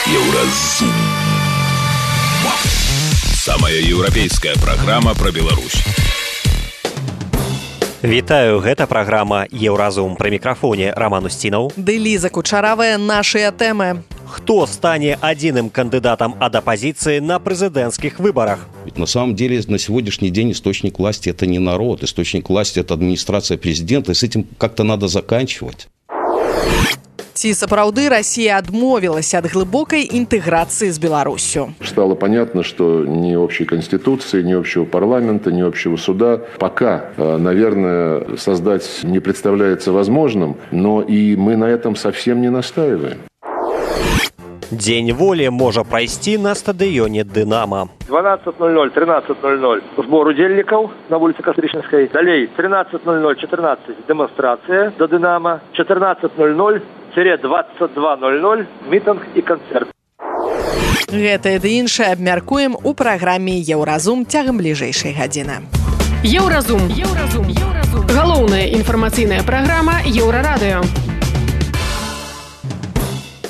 Еўразум. Самая еўрапейская праграма пра Беларусь. Вітаю, гэта праграма «Еўразум». Пры мікрафоне Роман Устінаў. Ды Ліза Кучаравая, нашыя тэмы. Кто стане одним кандидатом от оппозиции на президентских выборах? Ведь на самом деле на сегодняшний день источник власти – это не народ, источник власти – это администрация президента, и с этим как-то надо заканчивать. Ці сапраўды Россия адмовилась от глубокой интеграции с Беларусью. Стало понятно, что ни общей конституции, ни общего парламента, ни общего суда пока, наверное, создать не представляется возможным, но и мы на этом совсем не настаиваем. Дзень волі можа прайсці на стадыёне «Дынамо». 12:00, 13:00 сбор удзельнікаў на вуліцы Кастрычніцкай. Далей 13:00-14 дэманстрацыя да «Дынамо». 14:00-22:00 мітынг і канцэрт. Гэта і іншае абмяркуем у праграме «Еўразум» цягам бліжэйшай гадзіны. Еўразум. Галоўная інфармацыйная праграма Еўрарадыё.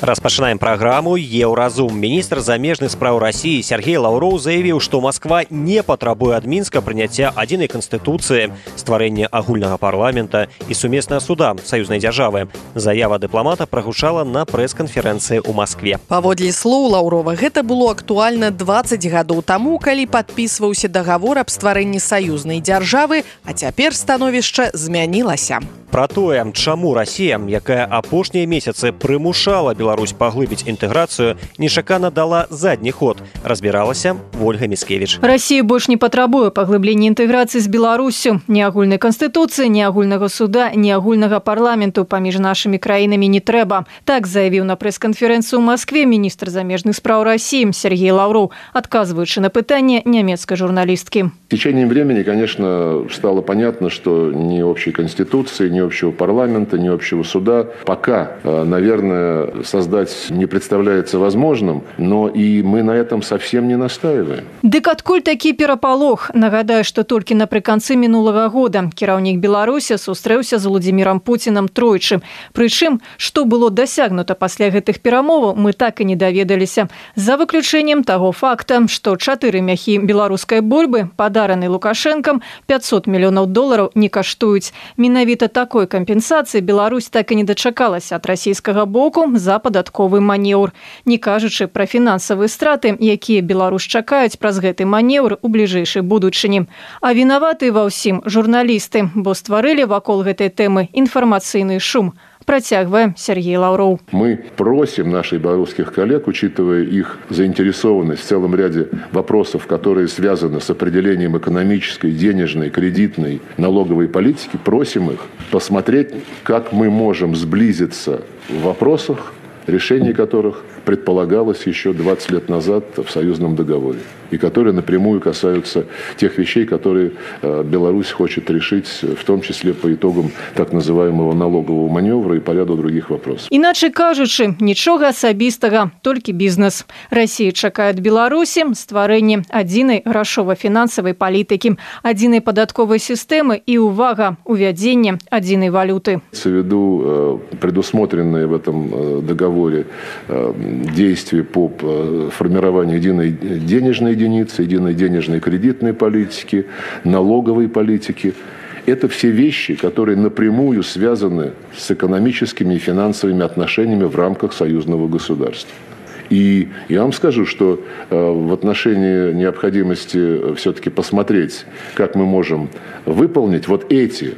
Распачынаем праграму «Еўразум». Міністр замежных спраў России Сергей Лаўроў заявіў, што Москва не патрабуе ад Мінска прыняцця адзінай канстытуцыі, стварэння агульнага парламента і сумеснага суда саюзнай дзяржавы. Заява дыпламата прагучала на прэс-канферэнцыі ў Маскве. Паводле слоў Лаўрова, гэта было актуальна 20 гадоў таму, калі падпісваўся дагавор аб стварэнні саюзнай дзяржавы, а цяпер становішча змянілася. Пра тое, чаму Расія, якая апошнія месяцы прымушала Беларусь паглыбіць інтэграцыю, нечакана дала задні ход, разбіралася Ольга Міцкевіч. Россия больш не патрабуе паглыблення інтэграцыі з Беларусю. Ні агульнай канстытуцыі, ні агульнага суда, ні агульнага парламенту паміж нашымі краінамі не трэба. Так заявіў на прэс-канферэнцыі ў Маскве міністр замежных спраў России Сергей Лаўроў, адказваючы на пытанне нямецкай журналісткі. В течение времени, конечно, стало понятно, что ни общей конституции, ни общего парламента, ни общего суда пока, наверное, создать не представляется возможным, но и мы на этом совсем не настаиваем. Дык адкуль такі перапалох? Нагадаю, што толькі напрыканцы мінулага года кіраўнік Беларусі сустрэўся з Владзімірам Пуцінам тройчы. Прычым, што было дасягнута пасля гэтых перамоваў, мы так і не даведаліся. За выключэннем таго факта, што 4 мяхі беларускай бульбы, падараны Лукашэнкам, $500 мільёнаў не каштуюць. Менавіта такой кампенсацыі Беларусь так і не дачакалася ад расійскага боку за падатковы манеўр. Не кажучы пра фінансавыя страты, якія Беларусь чакаюць праз гэты манеўр у бліжэйшай будучыні. А вінаваты ва ўсім журналісты, бо стварылі вакол гэтай тэмы інфармацыйны шум. Протягиваем Сергей Лаўроў. Мы просим наших белорусских коллег, учитывая их заинтересованность в целом ряде вопросов, которые связаны с определением экономической, денежной, кредитной, налоговой политики, просим их посмотреть, как мы можем сблизиться в вопросах, решение которых предполагалось еще 20 лет назад в союзном договоре, и которые напрямую касаются тех вещей, которые Беларусь хочет решить, в том числе по итогам так называемого налогового маневра и по ряду других вопросов. Иначе кажучы, нічога асабістага, толькі бізнес. Россия чакае ад Беларусі стварэнне адзінай грашова-фінансавай палітыкі, адзінай падатковай сістэмы і, увага, увядзенне адзінай валюты. Ввиду предусмотренные в этом договоре действия по формированию единой денежной единицы, единой денежной кредитной политики, налоговой политики. Это все вещи, которые напрямую связаны с экономическими и финансовыми отношениями в рамках союзного государства. И я вам скажу, что в отношении необходимости все-таки посмотреть, как мы можем выполнить вот эти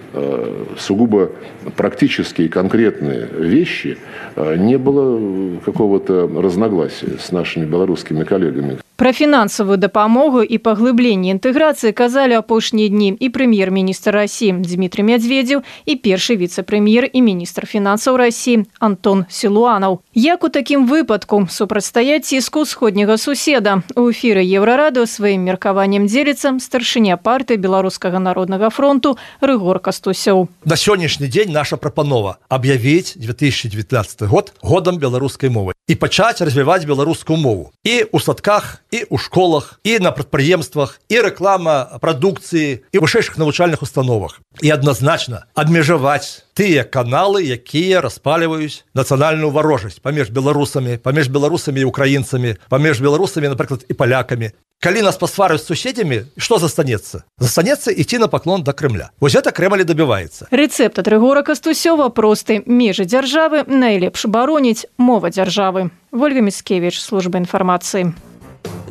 сугубо практические и конкретные вещи, не было какого-то разногласия с нашими белорусскими коллегами. Пра фінансавую дапамогу і паглыбленне інтэграцыі казалі апошнія дні і прэм'ер-міністр России Дмитрий Медведев і першы віцэ-прэм'ер і міністр фінансаў России Антон Силуанов. Як у такім выпадку супрацьстаяць ціску ўсходняга суседа? У эфіры Еўрарадыё сваім меркаваннем дзеліцца старшыня партыі Беларускага народнага фронту Рыгор Кастусёў. На сённяшні дзень наша прапанова аб'явіць 2019 год годам беларускай мовы і пачаць развіваць беларускую мову. І ў садках і ў школах, і на прадпрыемствах, і рэклама прадукцыі, і вышэйшых навучальных установах. І адназначна абмежаваць тыя каналы, якія распаліваюць нацыянальную варожасць паміж беларусамі і украінцамі, паміж беларусамі, напрыклад, і палякамі. Калі нас пасвараюць з суседзямі, што застанецца? Застанецца ісці на паклон да Крымля. Вось гэта Крэмль і дабіваецца. Рэцэпт ад Рыгора Кастусёва просты. Межы дзяржавы найлепш бароніць мова дзяржавы. Вольга Міцкевіч, служба інфармацыі.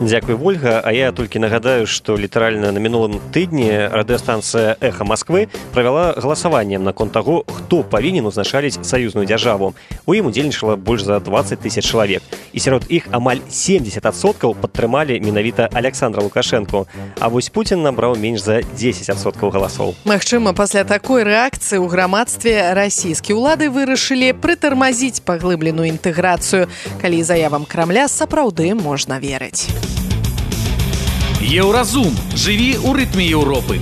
Дзякуй, Вольга. А я толькі нагадаю, што літаральна на мінулым тыдні радыёстанцыя «Эхо Москвы» правяла галасаванне наконт таго, хто павінен узначаліць саюзную дзяржаву. У ім удзельнічала больш за 20 000 чалавек. І сярод іх амаль 70% падтрымалі менавіта Александра Лукашэнку. А вось Пуцін набраў менш за 10% галасоў. Магчыма, пасля такой рэакцыі ў грамадстве расійскія ўлады вырашылі прытармазіць паглыбленую інтэграцыю, калі заявам Крамля сапраўды можна верыць. Еўразум. Жыві ў рытме Еўропы.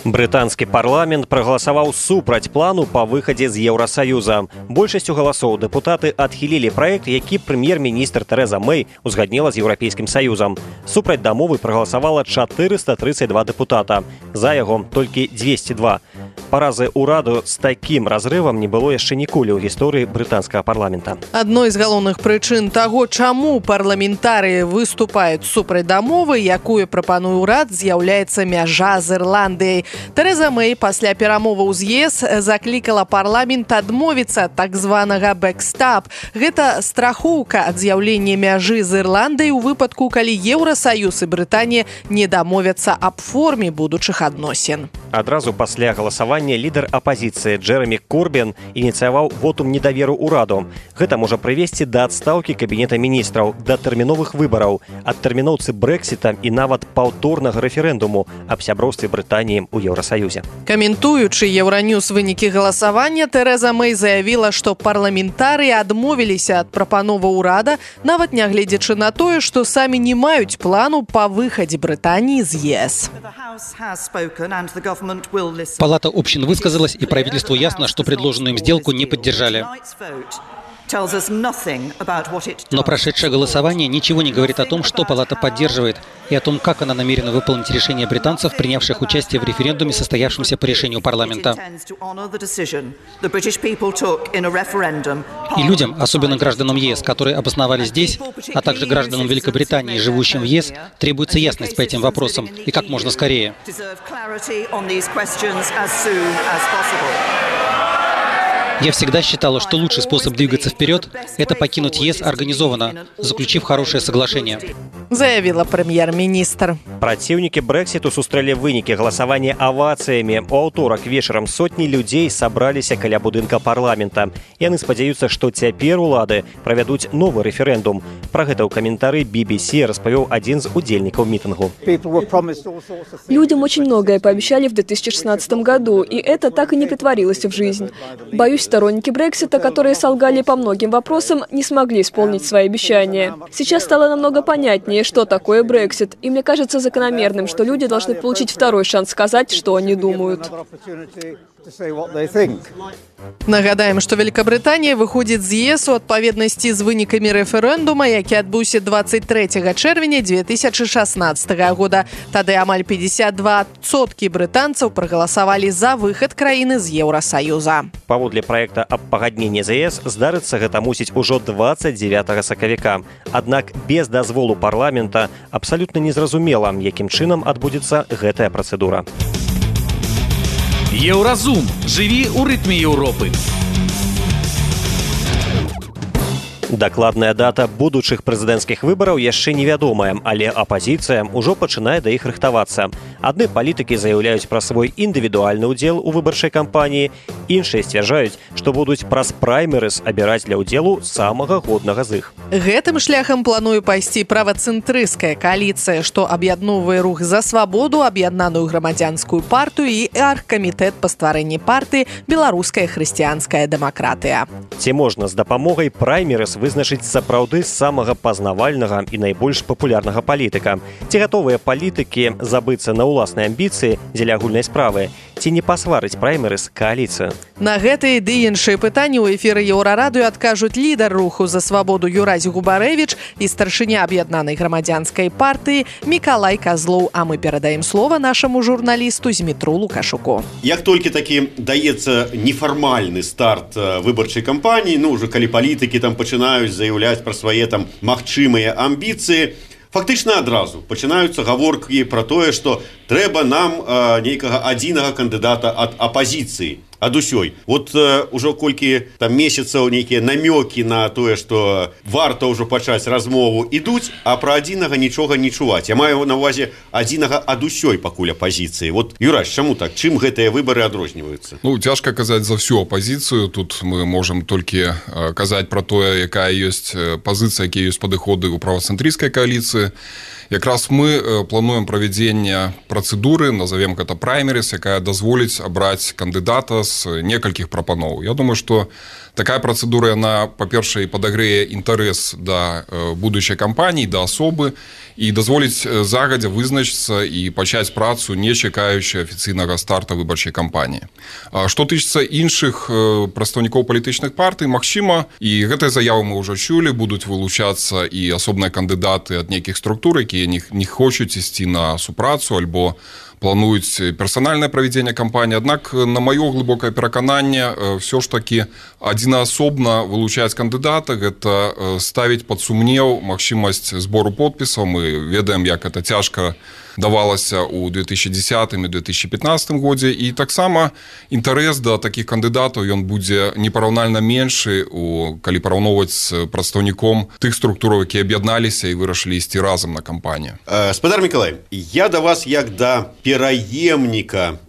Брытанскі парламент прагаласаваў супраць плану па выхадзе з Еўрасаюза. Большасцю галасоў дэпутаты адхілілі праект, які прэм'ер-міністр Тэрэза Мэй узгадніла з Еўрапейскім Саюзам. Супраць дамовы прагаласавала 432 дэпутата. За яго толькі 202. Паразы ўраду з такім разрывам не было яшчэ ніколі ў гісторыі брытанскага парламента. Адной з галоўных прычын таго, чаму парламентарыі выступаюць супраць дамовы, якую прапануе ўрад, з'яўляецца мяжа з Ірландыяй. Тэрэза Мэй пасля перамоваў з ЕС заклікала парламент адмовіцца ад так званага бэкстап. Гэта страхоўка ад з'яўлення мяжы з Ірландыяй у выпадку, калі Еўрасаюз і Брытанія не дамовяцца аб форме будучых адносін. Адразу пасля галасавання лідар апазіцыі Джэрамі Корбін ініцыяваў вотум недаверу ўраду. Гэта можа прывесці да адстаўкі кабінета міністраў, да тэрміновых выбараў, адтэрміноўцы Брэксіта і нават паўторнага рэферэндуму аб сяброўстве Брытаніі у Еўрасаюзе. Каментуючы Еўраньюз вынікі галасавання, Тэрэза Мэй заявіла, што парламентарыі адмовіліся ад прапановы ўрада, нават нягледзячы на тое, што самі не маюць плану па выхадзе Брытаніі з ЕС. Палата общин высказалась, и правительству ясно, что предложенную им сделку не поддержали. Но прошедшее голосование ничего не говорит о том, что Палата поддерживает, и о том, как она намерена выполнить решение британцев, принявших участие в референдуме, состоявшемся по решению парламента. И людям, особенно гражданам ЕС, которые обосновались здесь, а также гражданам Великобритании, живущим в ЕС, требуется ясность по этим вопросам, и как можно скорее. Я всегда считала, что лучший способ двигаться вперед – это покинуть ЕС организованно, заключив хорошее соглашение. Заявила прэм'ер-міністр. Праціўнікі Брэксіту сустрэлі вынікі галасавання авацыямі. У аўторак вечарам сотні людзей сабраліся каля будынка парламента. Яны спадзяюцца, што цяпер улады правядуць новы рэферэндум. Пра гэта ў каментары BBC распавёў адзін з удзельнікаў мітынгу. Людям очень многое пообещали в 2016 году, и это так и не претворилось в жизнь. Боюсь, сторонники Брексита, которые солгали по многим вопросам, не смогли исполнить свои обещания. Сейчас стало намного понятнее, что такое Брексит, и мне кажется закономерным, что люди должны получить второй шанс сказать, что они думают. Нагадаем, што Великабрытанія выходзіць з ЕС у адпаведнасці з вынікамі рэферэндума, які адбыўся 23 чэрвеня 2016 года. Тады амаль 52% брытанцаў прагаласавалі за выхад краіны з Еўрасаюза. Паводле праекта аб пагадненні з ЕС здарыцца гэта мусіць ужо 29 сакавіка. Аднак без дазволу парламента абсалютна незразумела, якім чынам адбудзецца гэтая працэдура. Еўразум. Жыві ў рытме Еўропы. Дакладная дата будучых прэзідэнцкіх выбараў яшчэ невядомая, але апазіцыя ўжо пачынае да іх рыхтавацца. Адны палітыкі заяўляюць пра свой індывідуальны ўдзел у выбарчай кампаніі, іншыя сцвярджаюць, што будуць праз праймерыз абіраць для ўдзелу самага годнага з іх. Гэтым шляхам плануе пайсці правацэнтрысцкая кааліцыя, што аб'ядноўвае рух за свабоду, аб'яднаную грамадзянскую партыю і аргкамітэт па стварэнні партыі «Беларуская хрысціянская дэмакратыя». Ці можна з дапамогай праймерыз вызначыць сапраўды самага пазнавальнага і найбольш папулярнага палітыка? Ці гатовыя палітыкі забыцца на ўласныя амбіцыі дзеля агульнай справы? ці не пасварыць праймерыс кааліцыю. На гэтыя ды іншыя пытанні ў эфіры Еўрарадыё адкажуць лідар руху за свабоду Юразі Губарэвіч і старшыня аб'яднанай грамадзянскай партыі Мікалай Казлоў, а мы перадаем слова нашаму журналісту Змітру Лукашуку. Як толькі такі даецца нефармальны старт выбарчай кампаніі, ўжо калі палітыкі там пачынаюць заяўляць пра свае там магчымыя амбіцыі, фактычна адразу пачынаюцца гаворкі пра тое, што трэба нам нейкага адзінага кандыдата ад апазіцыі, ад усёй. Вот ужо колькі там месяцаў нейкія намёкі на тое, што варта ўжо пачаць размову ідуць, а пра адзінага нічога не чуваць. Я маю на ўвазе адзінага ад усёй пакуль апазіцыі. Вот, Юраш, чаму так? Чым гэтыя выбары адрозніваюцца? Цяжка казаць за всю апазіцыю. Тут мы можам толькі казаць пра тое, якая ёсць пазіцыя, якія ёсць падыходы ў правацэнтрысцкай кааліцыі. Якраз мы плануем правядзенне працэдуры, назовем гэта праймерис, якая дазволіць абраць кандыдата з некалькіх прапаноў. Я думаю, што такая працэдура, яна, па-першае, падагрэе інтарэс да будучай кампаніі, да асобы і дазволіць загадзя вызначыцца і пачаць працу, не чакаючы афіцыйнага старта выбарчай кампаніі. Што тычыцца іншых прадстаўнікоў палітычных партый, магчыма, і гэтыя заявы мы ўжо чулі, будуць вылучацца і асобныя кандыдаты ад нейкіх структур, якія не хочуць ісці на супрацу альбо плануюць персанальнае правядзенне кампаніі. Аднак, на маё глыбокае перакананне, ўсё ж такі адзінаасобна вылучаць кандыдата, гэта ставіць пад сумнеў магчымасць збору подпісаў. Мы ведаем, як гэта цяжка давалася ў 2010 і 2015 годзе, і таксама інтарэс да такіх кандыдатаў ён будзе непараўнальна меншы, калі параўноўваць з прадстаўніком тых структураў, якія аб'ядналіся і вырашылі ісці разам на кампанію. Спадар Мікалай, я да вас як да пераемніка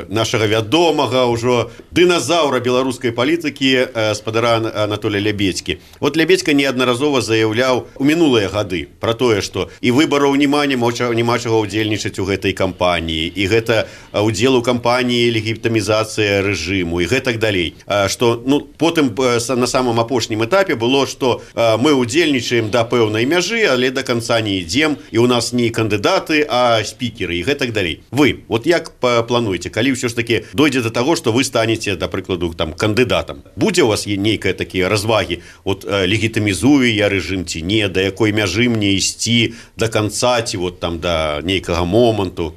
нашага вядомага ўжо дыназаўра беларускай палітыкі спадара Анатолія Лябедзькі. Вот Лябедзька неаднаразова заяўляў у мінулыя гады пра тое, што і выбараў няма чаго удзельнічаць у гэтай кампаніі, і гэта удзел у кампаніі легітымізацыя рэжыму і гэтак далей. Што потым на самым апошнім этапе было, што мы удзельнічаем да пэўнай мяжы, але да канца не ідзем, і ў нас не кандыдаты, а спікеры і гэтак далей. Вы, вот як плануеце, калі ўсё ж такі дойдзе да таго, што вы станеце, да прыкладу, там кандыдатам? Будзе у вас нейкая такія развагі? Вот легітымізую я рэжым ці не, да якой мяжы мне ісці да канца, ці вот там да нейкага моманту?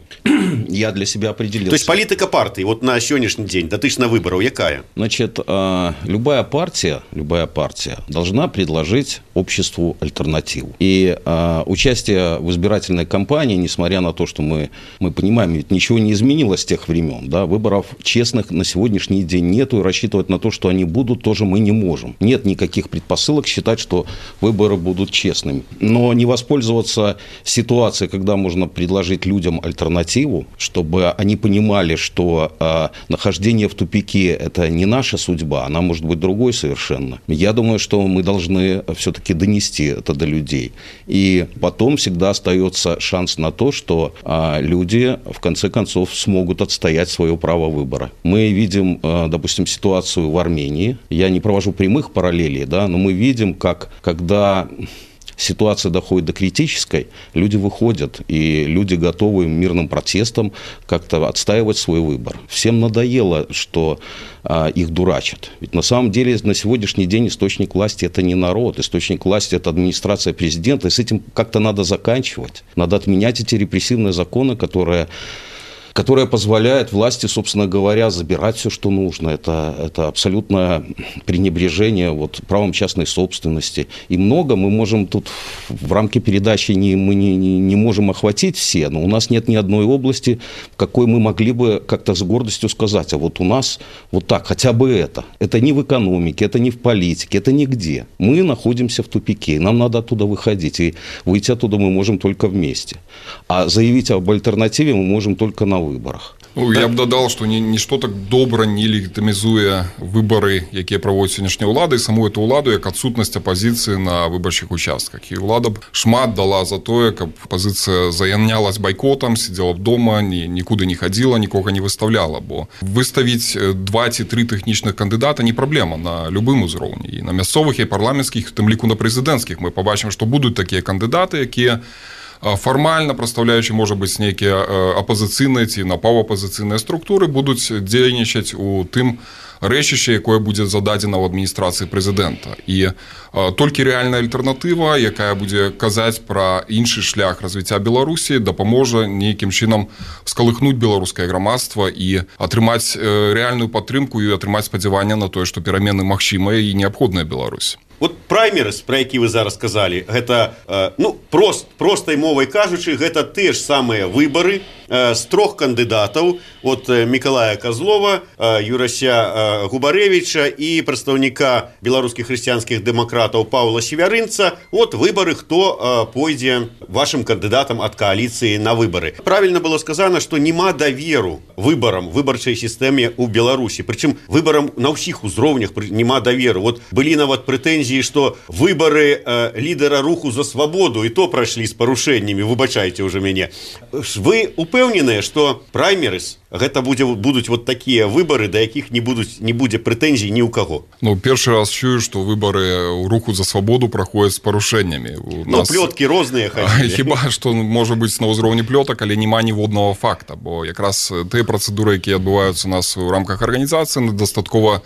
Я для себя определился. То есть политика партии вот на сегодняшний день, дотычно выборов, якая? Значит, любая партия должна предложить обществу альтернативу. И участие в избирательной кампании, несмотря на то, что мы понимаем, ведь ничего не изменилось с тех времен, да, выборов честных на сегодняшний день нету, и рассчитывать на то, что они будут, тоже мы не можем. Нет никаких предпосылок считать, что выборы будут честными. Но не воспользоваться ситуацией, когда можно предложить людям альтернативу, чтобы они понимали, что нахождение в тупике – это не наша судьба, она может быть другой совершенно. Я думаю, что мы должны все-таки донести это до людей. И потом всегда остается шанс на то, что люди в конце концов смогут отстоять свое право выбора. Мы видим, допустим, ситуацию в Армении. Я не провожу прямых параллелей, да, но мы видим, как когда ситуация доходит до критической, люди выходят, и люди готовы мирным протестом как-то отстаивать свой выбор. Всем надоело, что их дурачат. Ведь на самом деле на сегодняшний день источник власти – это не народ, источник власти – это администрация президента, и с этим как-то надо заканчивать. Надо отменять эти репрессивные законы, которые позволяет власти, собственно говоря, забирать все, что нужно. Это абсолютное пренебрежение правом частной собственности. И много мы можем тут в рамке передачи мы не можем охватить все, но у нас нет ни одной области, в какой мы могли бы как-то с гордостью сказать, а вот у нас вот так, хотя бы это. Это не в экономике, это не в политике, это нигде. Мы находимся в тупике, нам надо оттуда выходить. И выйти оттуда мы можем только вместе. А заявить об альтернативе мы можем только на выборах. Я б дадал, што нішто так добра не легітымізуе выбары, якія праводзіць сённяшняя ўлада, і саму эту ўладу як адсутнасць апазіцыі на выбарчых участках. І ўлада б шмат дала за тое, каб апазіцыя заянялась байкотам, сидзела б дома, нікуды не хадзіла, нікога не выставляла, бо выставіць 2 ці 3 тэхнічных кандыдата не праблема на любым узроўні. І на мясцовых і парламенцкіх, в тым ліку на прэзідэнцкіх, мы пабачым, што будуць такія кандыдаты, якія фармальна прадстаўляючы можа быць нейкія апазіцыйныя ці напаўапазіцыйныя структуры будуць дзейнічаць у тым рэчышча, якое будзе зададзена ў адміністрацыі прэзідэнта. І толькі рэальная альтэрнатыва, якая будзе казаць пра іншы шлях развіцця Беларусі, дапаможа нейкім чынам скалыхнуць беларускае грамадства і атрымаць рэальную падтрымку і атрымаць спадзяванне на тое, што перамены магчымыя і неабходныя Беларусі. Вот праймерыс, про які вы зараз сказалі, гэта, простай мовай кажучы, гэта те ж самыя выбары з трох кандыдатаў, от Мікалая Козлова, Юрася Губарэвіча і прадстаўніка беларускіх хрысціянскіх дэмакратаў Паўла Севярынца. Вот выбары, хто пойдзе вашым кандыдатам ад кааліцыі на выбары. Правильно было сказано, што няма даверу выбарам, выбарчай сістэме ў Беларусі. Прычым выбарам на ўсіх узроўнях няма даверу. Вот былі нават прэтэнзіі, што выбары лідара руху за свабоду і то прайшлі з парушэннямі, выбачайце ўжо мяне. Вы упэўненыя, што праймерыс гэта будуць вот такія выбары, да якіх не будзе прэтэнзій ні ў каго? Першы раз чую, што выбары ў руху за свабоду праходзяць з парушэннямі. Плёткі розныя хадзілі. Хіба што можа быць на ўзроўні плётак, але няма ніводнага факта, бо якраз тыя працэдуры, якія адбываюцца у нас у рамках арганізацыі, дастаткова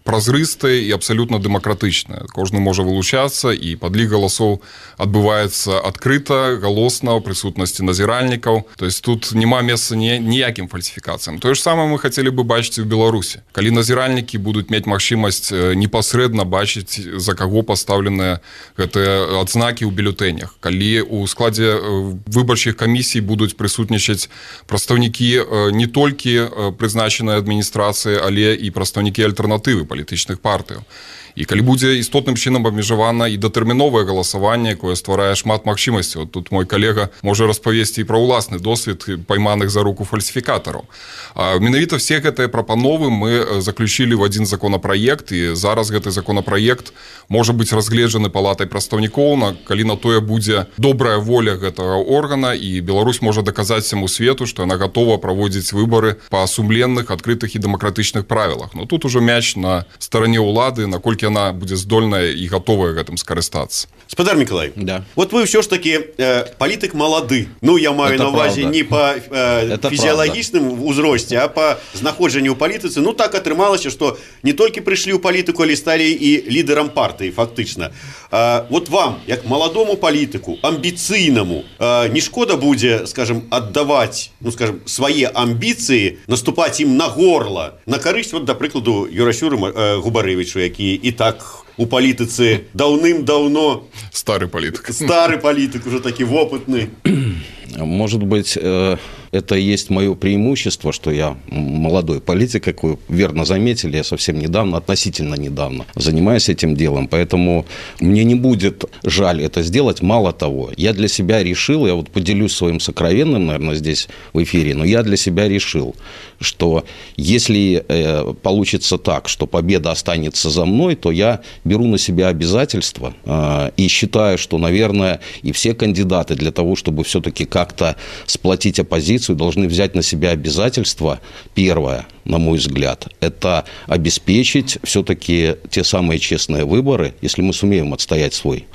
празрыстыя і абсалютна дэмакратычныя. Кожны можа вылучацца, і падлік галасоў адбываецца адкрыта, галосна, ў прысутнасці назіральнікаў. То есть тут няма месца ніякім фальсіфікацыям. Тое ж самае мы хацелі бы бачыць у Беларусі. Калі назіральнікі будуць мець магчымасць непасрэдна бачыць, за каго пастаўленыя гэтыя адзнакі ў бюлетэнях. Калі ў складзе выбарчых камісій будуць прысутнічаць прадстаўнікі не толькі прызначанай адміністрацыі, але і прадстаўнікі альтэрнатывы палітычных партыяў. І калі будзе істотным чынам абмежавана і датэрміновае галасаванне, якое стварае шмат магчымасцяў. Тут мой калега можа распавесці і пра ўласны досвед пайманых за руку фальсіфікатараў. Менавіта все гэтыя прапановы мы заключілі в адзін законапраект, і зараз гэты законапраект можа быць разгледжаны палатай прадстаўнікоў, калі на тое будзе добрая воля гэтага органа, і Беларусь можа даказаць всяму свету, што яна гатова праводзіць выбары па сумленных, адкрытых і дэмакратычных правілах. Но тут ужо мяч на старане ўлады, наколькі яна будзе здольная і гатовая гэтым скарыстацца. Спадар Мікалай, да. Вот вы ўсё ж такі палітык малады. Я маю на ўвазе не па фізіялагічным узросце, а па знаходжанню ў палітыцы. Так атрымалася, што не толькі прыйшлі ў палітыку, але сталі і лідарам партыі, фактычна. Вот вам, як маладому палітыку, амбіцыйнаму, не шкода будзе, скажем, аддаваць, свае амбіцыі, наступаць ім на горла, на карысць, да прыкладу, Юрасю Губарэвічу, які і так у палітыцы даўным-даўно... Стары палітык, уже такі вопытны. Может быть, это и есть мое преимущество, что я молодой политик, как вы верно заметили, я совсем недавно, относительно недавно занимаюсь этим делом, поэтому мне не будет жаль это сделать. Мало того, я для себя решил, я вот поделюсь своим сокровенным, наверное, здесь в эфире, но я для себя решил, что если получится так, что победа останется за мной, то я беру на себя обязательства и считаю, что, наверное, и все кандидаты для того, чтобы все-таки как-то сплотить оппозицию, должны взять на себя обязательства. Первое, на мой взгляд, это обеспечить все-таки те самые честные выборы, если мы сумеем отстоять свой,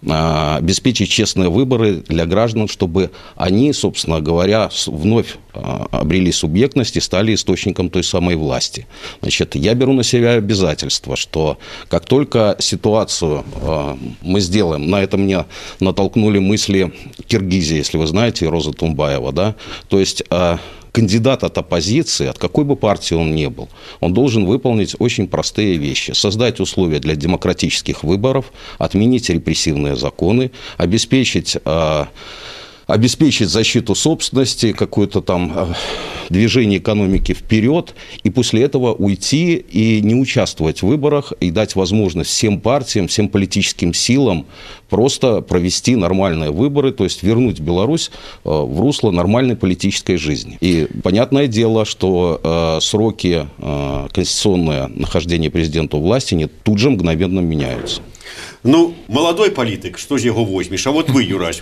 обеспечить честные выборы для граждан, чтобы они, собственно говоря, вновь обрели субъектность и стали источником той самой власти. Значит, я беру на себя обязательство, что как только ситуацию мы сделаем, на это меня натолкнули мысли Киргизии, если вы знаете, Роза Тумбаева, да, то есть кандидат от оппозиции, от какой бы партии он ни был, он должен выполнить очень простые вещи. Создать условия для демократических выборов, отменить репрессивные законы, обеспечить защиту собственности, какое-то там движение экономики вперед, и после этого уйти и не участвовать в выборах, и дать возможность всем партиям, всем политическим силам просто провести нормальные выборы, то есть вернуть Беларусь в русло нормальной политической жизни. И понятное дело, что сроки конституционное нахождения президента у власти тут же мгновенно меняются. Молодой палітык, што ж яго возьмеш? А вот вы, Юрась,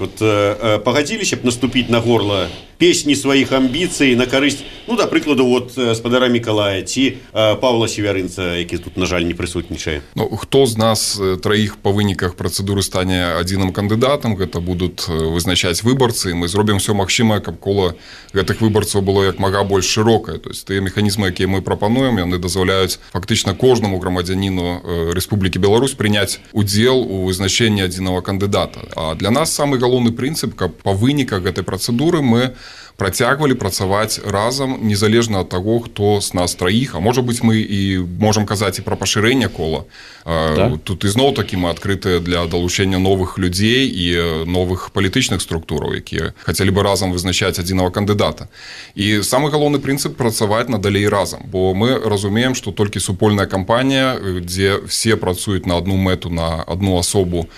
пагадзіліся б наступіць на горла песні сваіх амбіцый на карысць, ну, да прыкладу, вот спадара Мікалая ці Павла Севярынца, які тут, на жаль, не прысутнічае. Ну, хто з нас траіх па выніках працэдуры стане адзіным кандыдатам, гэта будуць вызначаць выбарцы, мы зробім все магчымае, каб кола гэтых выбарцаў было як мага больш шырокае. То есть тыя механізмы, якія мы прапануем, яны дазваляюць фактычна кожнаму грамадзяніну Рэспублікі Беларусь прыняць удзел у вызначэнні адзінага кандыдата. А для нас самы галоўны прынцып, каб па выніках гэтай працэдуры мы працягвалі працаваць разам, незалежна ад таго, хто з нас траіх, а можа быць, мы і можам казаць і пра пашырэнне кола. Да? Тут ізноў такі мы адкрытыя для далучэння новых людзей і новых палітычных структураў, якія хацелі бы разам вызначаць адзінага кандыдата. І самы галоўны прынцып працаваць надалей разам, бо мы разумеем, што толькі супольная кампанія, дзе все працуюць на одну мэту, на одну асобу,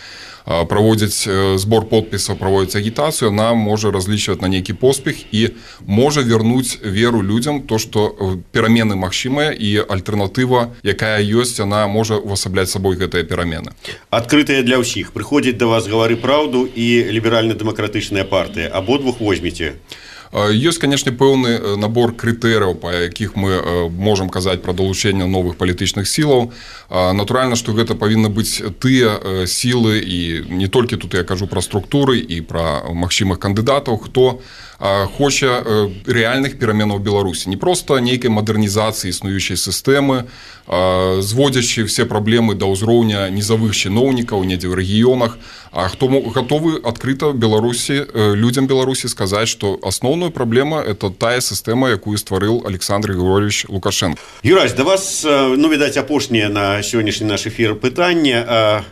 праводзяць збор подпісаў, праводзяць агітацыю, она можа разлічваць на нейкі поспех і можа вярнуць веру людзям, то, што перамены магчымыя і альтэрнатыва, якая ёсць, она можа увасабляць сабой гэтыя перамены. Адкрытыя для ўсіх. Прыходзіць да вас «Гавары праўду» і ліберальна-дэмакратычная партыя. Абодвух возьмеце? Ёсць, канешне, пэўны набор крытэрыяў, па якіх мы можам казаць пра далучэнне новых палітычных сілаў. Натуральна, што гэта павінны быць тыя сілы, і не толькі тут я кажу пра структуры і пра магчымых кандыдатаў, хто хоча рэальных пераменаў Беларусі. Не проста нейкай мадэрнізацыі існуючай сістэмы, зводзячы все праблемы да ўзроўня нізавых чыноўнікаў недзе ў рэгіёнах, а хто гатовы адкрыта Беларусі, людзям Беларусі сказаць, што асноўная праблема – это тая сістэма, якую стварыў Александр Григорьевич Лукашенко. Юрась, да вас, ну, відаць, апошняе на сённяшні наш эфір пытанне.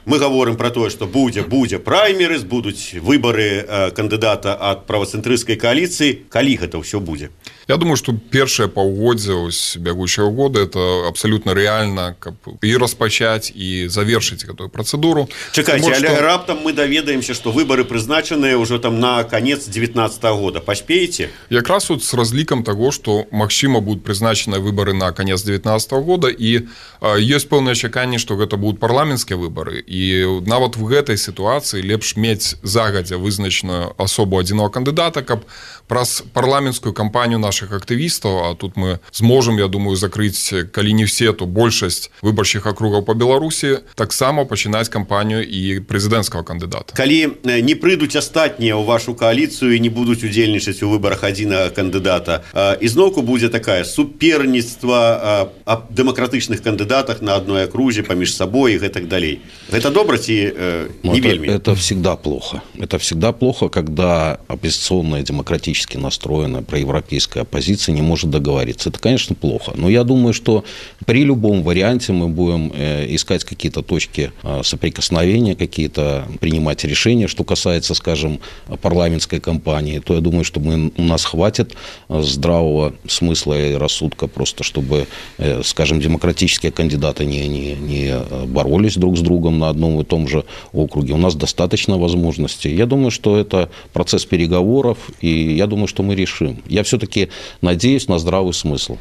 Мы гаворым пра тое, што будзе праймерыз, будуць выбары кандыдата ад правацэнтрысцкай коаліцыі. Калі гэта ўсё будзе? Я думаю, што першае паўгоддзе бягучага года это абсалютна рэальна, каб і распачаць, і завершыць гэтую працэдуру. Чакайце, але раптам мы даведаемся, што выбары прызначаныя ўжо там на канец 19-го года. Паспееце? Якраз вот з разлікам таго, што магчыма будуць прызначаныя выбары на канец 19-го года, і ёсць пэўнае чаканне, што гэта будуць парламенцкія выбары. І нават в гэтай сітуацыі лепш мець загадзя вызначаную асобу адзінага кандыдата, каб праз парламенцкую кампанію наших актывістаў, а тут мы зможам, я думаю, закрыць, калі не все, то большасць выбарчых акругаў па Беларусі, таксама пачынаць кампанію і прэзідэнцкага кандыдата. Калі не прыйдуць астатнія ў вашу кааліцыю і не будуць удзельнічаць у выбарах адзінага кандыдата, ізноўку будзе такая суперніцтва аб дэмакратычных кандыдатах на адной акрузе паміж сабой і гэтак далей. Гэта добра ці не вельмі? Это всегда плохо. Это всегда плохо, когда оппозиционная, демократически настроенная, проевропейская оппозиция не может договориться. Это, конечно, плохо. Но я думаю, что при любом варианте мы будем искать какие-то точки соприкосновения, какие-то принимать решения. Что касается, скажем, парламентской кампании, то я думаю, что у нас хватит здравого смысла и рассудка просто, чтобы, скажем, демократические кандидаты не боролись друг с другом на одном и том же округе. У нас достаточно возможностей. Я думаю, что это процесс переговоров, и я думаю, что мы решим. Я все-таки надеюсь на здравый смысл.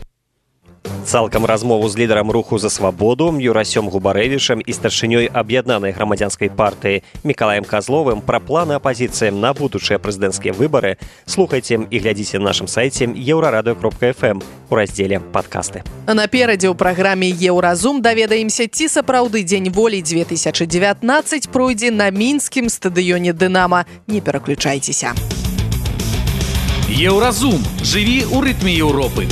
Цалкам размову з лідарам руху за свабоду Юрасём Губарэвічам і старшынёй аб'яднанай грамадзянскай партыі Мікалаем Казловым пра планы апазіцыі на будучыя прэзідэнцкія выбары слухайце і глядзіце на нашым сайце еўрарадыё.фм у раздзеле «Падкасты». Наперадзе ў праграме «Еўразум» даведаемся, ці сапраўды Дзень волі 2019 пройдзе на мінскім стадыёне «Дынама». Не пераключайцеся. Еўразум. Жыві ў рытме Еўропы.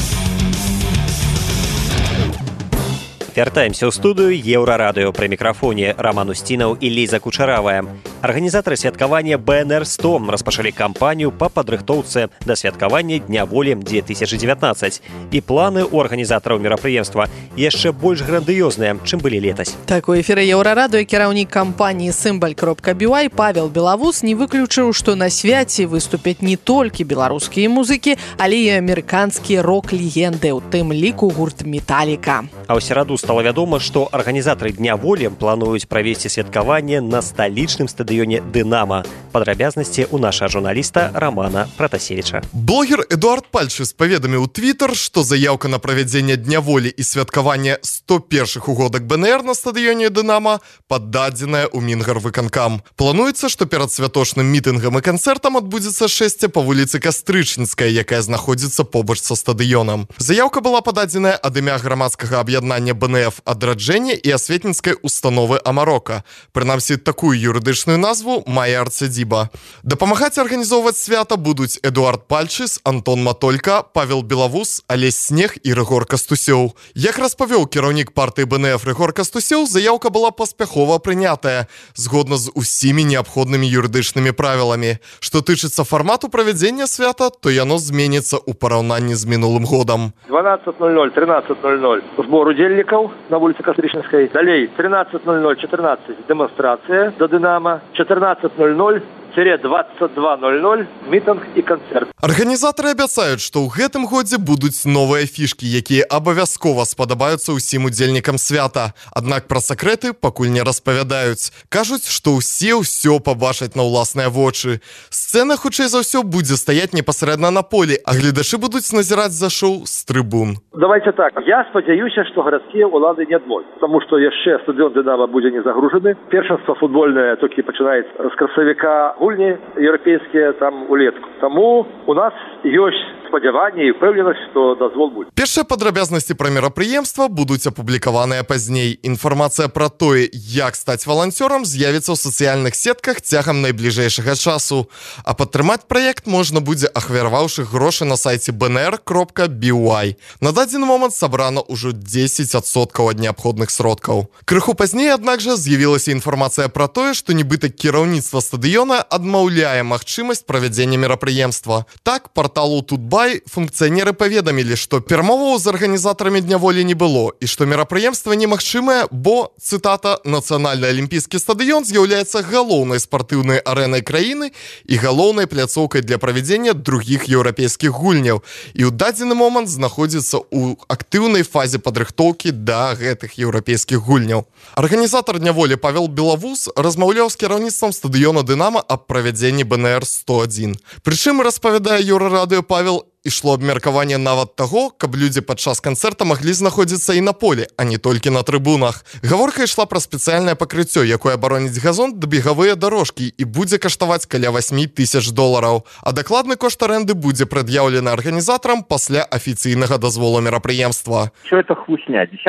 Вяртаемся ў студыю Еўрарадыё. Пры мікрафоне Роман Устінаў і Ліза Кучаравая. Арганізатары святкавання БНР-100 распачалі кампанію па падрыхтоўцы да святкавання Дня волі 2019. І планы ў арганізатараў мерапрыемства яшчэ больш грандыёзныя, чым былі летась. Так, у эфіры Еўрарадыё кіраўнік кампаніі «Сымбаль.BY» Павел Белавус не выключыў, што на свяце выступяць не толькі беларускія музыкі, але і амерыканскія рок-легенды, у тым ліку гурт «Металліка». А ў сераду стала вядома, што арганізатары Дня волі плануюць правесці святкаванне на сталічным стадыёне «Дынамо». Падрабязнасці ў нашага журналіста Романа Протасевича. Блогер Эдуард Пальчыс паведаміў у Твиттер, што заяўка на правядзенне Дня волі і святкаванне 101-х угодак БНР на стадыёне «Дынамо» паддадзеная ў Мінгарвыканкам. Плануецца, што перад святочным мітынгам і канцэртам адбудзецца шэсце па вуліцы Кастрычніцкая, якая знаходзіцца побач са стадыёнам. Заяўка была пададзеная ад імя грамадскага аб'яднання БНФ «Адраджэнне» і асветніцкай установы «Амарока». Прынамсі, такую юрыдычную назву мае арцядзіба. Дапамагаць арганізоўваць свята будуць Эдуард Пальчыс, Антон Матолька, Павел Белавус, Алесь Снег і Рыгор Кастусёў. Як распавёў кіраўнік партыі БНФ Рыгор Кастусёў, заяўка была паспяхова прынятая, згодна з усімі неабходнымі юрыдычнымі правіламі. Што тычыцца фармату правядзення свята, то яно зменіцца ў параўнанні з минулым годом. 12:00, 13:00 сбор удзельнікаў на вуліцы Кастрычніцкай. Далей 13:00-14 дэманстрацыя да «Дынамо», 14:00-22:00 мітынг і канцэрт. Арганізатары абяцаюць, што ў гэтым годзе будуць новыя фішкі, якія абавязкова спадабаюцца ўсім удзельнікам свята. Аднак пра сакрэты пакуль не распавядаюць. Кажуць, што ўсё пабачаць на ўласныя вочы. Сцэна, хутчэй за ўсё, будзе стаяць непасрэдна на полі, а гледачы будуць назіраць за шоу з трыбун. Давайте так, я спадзяюся, што гарадскія ўлады не адмовяць, таму што яшчэ стадыён «Дынамо» будзе не загружаны. Першынства футбольнае толькі пачынаецца з красавіка, гульні еўрапейскія там улетку. Таму у нас ёсць спадзяванне і ўпэўненасць, што дазвол будзе. Першыя падрабязнасці пра мерапрыемства будуць апублікаваныя пазней. Інфармацыя пра тое, як стаць валанцёрам, з'явіцца ў сацыяльных сетках цягам найбліжэйшага часу. А падтрымаць праект можна будзе, ахвяраваўшы грошы на сайце bnr.by. На дадзены момант сабрана ўжо 10% ад неабходных сродкаў. Крыху пазней, аднак жа, з'явілася інфармацыя пра тое, што нібыта кіраўніцтва стадыёна адмаўляе магчымасць правядзення мерапрыемства. Так, парталу Тутбай функцыянеры паведамілі, што перамоваў з арганізатарамі Дня волі не было і што мерапрыемства немагчымае, бо, цытата, «Нацыянальны алімпійскі стадыён з'яўляецца галоўнай спартыўнай арэнай краіны і галоўнай пляцоўкай для правядзення другіх еўрапейскіх гульняў і ў дадзены момант знаходзіцца ў актыўнай фазе падрыхтоўкі да гэтых еўрапейскіх гульняў. Арганізатар Дня волі Павел Белавус размаўляў з кіраўніцтвам стадыёна «Дынамо» аб правядзенні БНР-101. Прычым, распавядае Еўрарадыё Павел, ішло абмеркаванне нават таго, каб людзі падчас канцэрта маглі знаходзіцца і на полі, а не толькі на трыбунах. Гаворка ішла пра спецыяльнае пакрыццё, якое абароніць газон да бегавыя дарожкі і будзе каштаваць каля $8,000. А дакладны кошт арэнды будзе прад'яўлены арганізатарам пасля афіцыйнага дазволу мерапрыемства. Все это хлусня. 10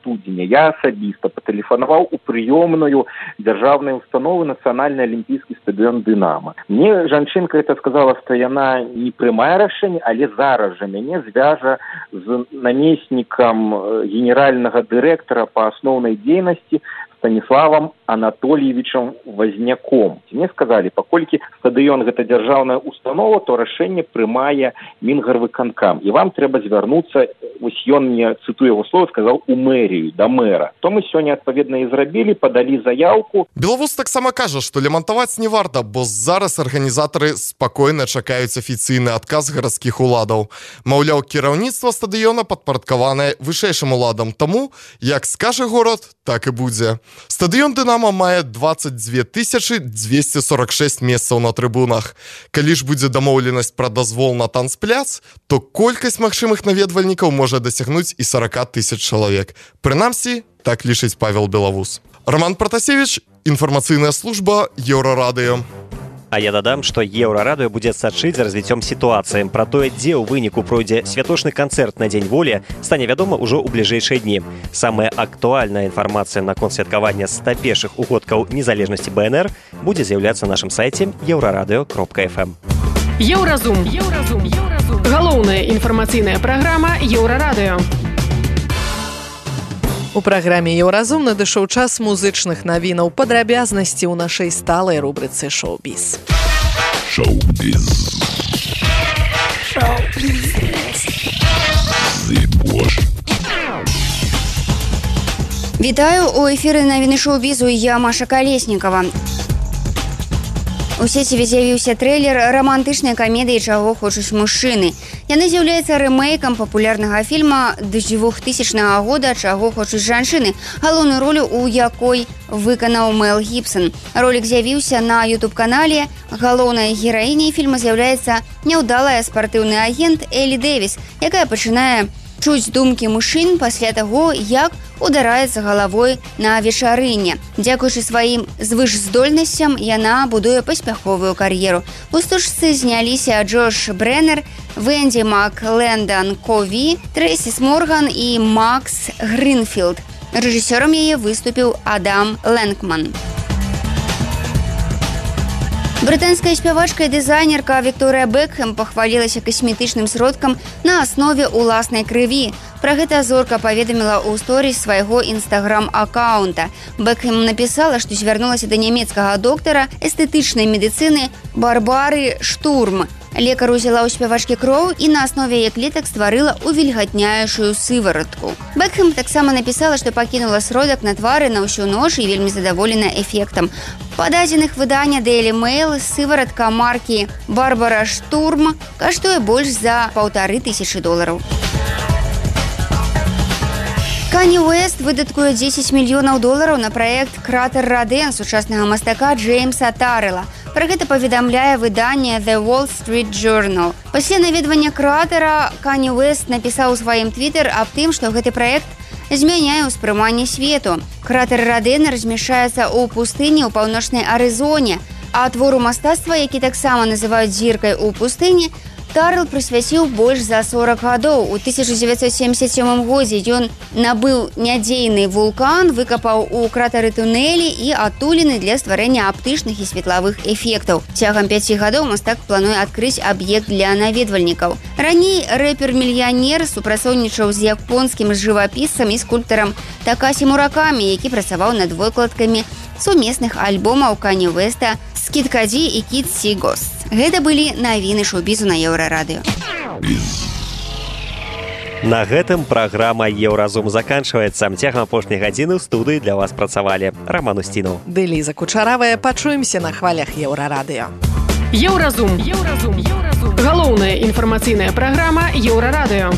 студзеня я асабіста патэлефанаваў у прыёмную дзяржаўнай установы Нацыянальны алімпійскі стадыён «Дынамо». Мне жанчынка это сказала, што яна не прымае рашэнне, але зараз жа мяне звяжа з намеснікам генеральнага дырэктара па асноўнай дзейнасці Станіславам Анатольевичем Возняком. Мне сказали, паколькі стадыён гэта дзяржаўная установа, то рашэнне прымае Мінгарвыканкам. І вам трэба звярнуцца, вось ён мне, цытую яго слова, сказаў, у мэрію, да мэра. То мы сёння адпаведна і зрабілі, падалі заяўку. Белавус таксама кажа, што лямантаваць не варта, бо зараз арганізатары спакойна чакаюць афіцыйны адказ гарадскіх уладаў. Маўляў, кіраўніцтва стадыёна падпарадкаванае вышэйшым уладам, таму, як скажа горад, так і будзе. Стадыён «Дынамо» мае 22 246 месцаў на трыбунах. Калі ж будзе дамоўленасць пра дазвол на танцпляц, то колькасць магчымых наведвальнікаў можа дасягнуць і 40 000 чалавек. Прынамсі, так лічыць Павел Белавус. Роман Протасевич, інфармацыйная служба Еўрарадыё. А я дадам, што Еўрарадыё будзе сачыць за развіццём сітуацыі. Пра тое, дзе ў выніку пройдзе святочны канцэрт на Дзень волі, стане вядома ўжо ў бліжэйшыя дні. Самая актуальная інфармацыя наконт святкавання 101-х угодкаў незалежнасці БНР будзе з'яўляцца на нашым сайце euraradыё.fm. Еўразум. Галоўная інфармацыйная праграма Еўрарадыё. У праграме «Еўразум» надышоў час музычных навінаў, падрабязнасці ў нашай сталай рубрыцы «Шоу-біз». Вітаю, у эфіры навіны шоу-бізу, я Маша Калеснікава. У сеціве з'явіўся трэйлер романтычнай камедыі «Чаго хочуць мужчыны». Яны з'яўляецца рэмейкам папулярнага фільма 2000 года «Чаго хочуць жанчыны», галоўную ролю у якой выканаў Мел Гібсон. Ролик з'явіўся на YouTube-канале. Галоўнай гераіняй фільма з'яўляецца няўдалая спартыўны агент Элі Дэвіс, якая пачынае чуць думкі мужчын пасля таго, як удараецца галавой на вечарыне. Дзякуючы сваім звышздольнасцям яна будуе паспяховую кар'еру. У стужцы зняліся Джош Брэннер, Венді Маклендон Кові, Трэсіс Морган і Макс Гринфілд. Рэжысёрам яе выступіў Адам Лэнкман. Брытанская спявачка і дызайнерка Вікторыя Бекхэм пахвалілася касметычным сродкам на аснове ўласнай крыві. Пра гэта зорка паведаміла ў сторіс свайго інстаграм-аккаунта. Бекхэм напісала, што звярнулася да нямецкага доктара эстэтычнай медыцыны Барбары Штурм. Лекар узяла ў спявачкі кроў і на аснове яе клетак стварыла увільгатняючую сываратку. Бекхэм таксама напісала, што пакінула сродак на твары на ўсю ноч і вельмі задаволена эфектам. Па дадзеных выдання Daily Mail сываратка маркі Барбара Штурм каштуе больш за $1500. Кані Уэст выдаткуе $10 мільёнаў на праект «Кратер Раден» сучаснага мастака Джеймса Таррелла. Пра гэта паведамляе выданне The Wall Street Journal. Пасля наведвання кратера Кані Уэст напісаў у сваім твітер аб тым, што гэты праект змяняе ўспрыманне свету. Кратер Раден размяшчаецца ў пустыні ў паўночнай Арызоне, а твору мастацтва, які таксама называюць зіркай у пустыні, Таррелл прысвяціў больш за 40 гадоў. У 1977 годзе ён набыў нядзейны вулкан, выкапаў у кратары тунэлі і адтуліны для стварэння аптычных і светлавых эфектаў. Цягам 5 гадоў мастак плануе адкрыць аб'ект для наведвальнікаў. Раней рэпер-мільянер супрацоўнічаў з японскім жывапісцам і скульптарам Такасі Муракамі, які працаваў над выкладкамі сумесных альбомаў Кані Уэста «Скід Каді» і «Кід Сі Гост». Гэта былі навіны шоу-бізу на Еўрарадыё. На гэтым праграма «Еўразум» заканчваецца. Цягам апошняй гадзіны ў студыі для вас працавалі Роман Устінаў. Ды Ліза Кучаравая. Пачуемся на хвалях Еўрарадыё. Еўразум. Галоўная інфармацыйная праграма Еўрарадыё.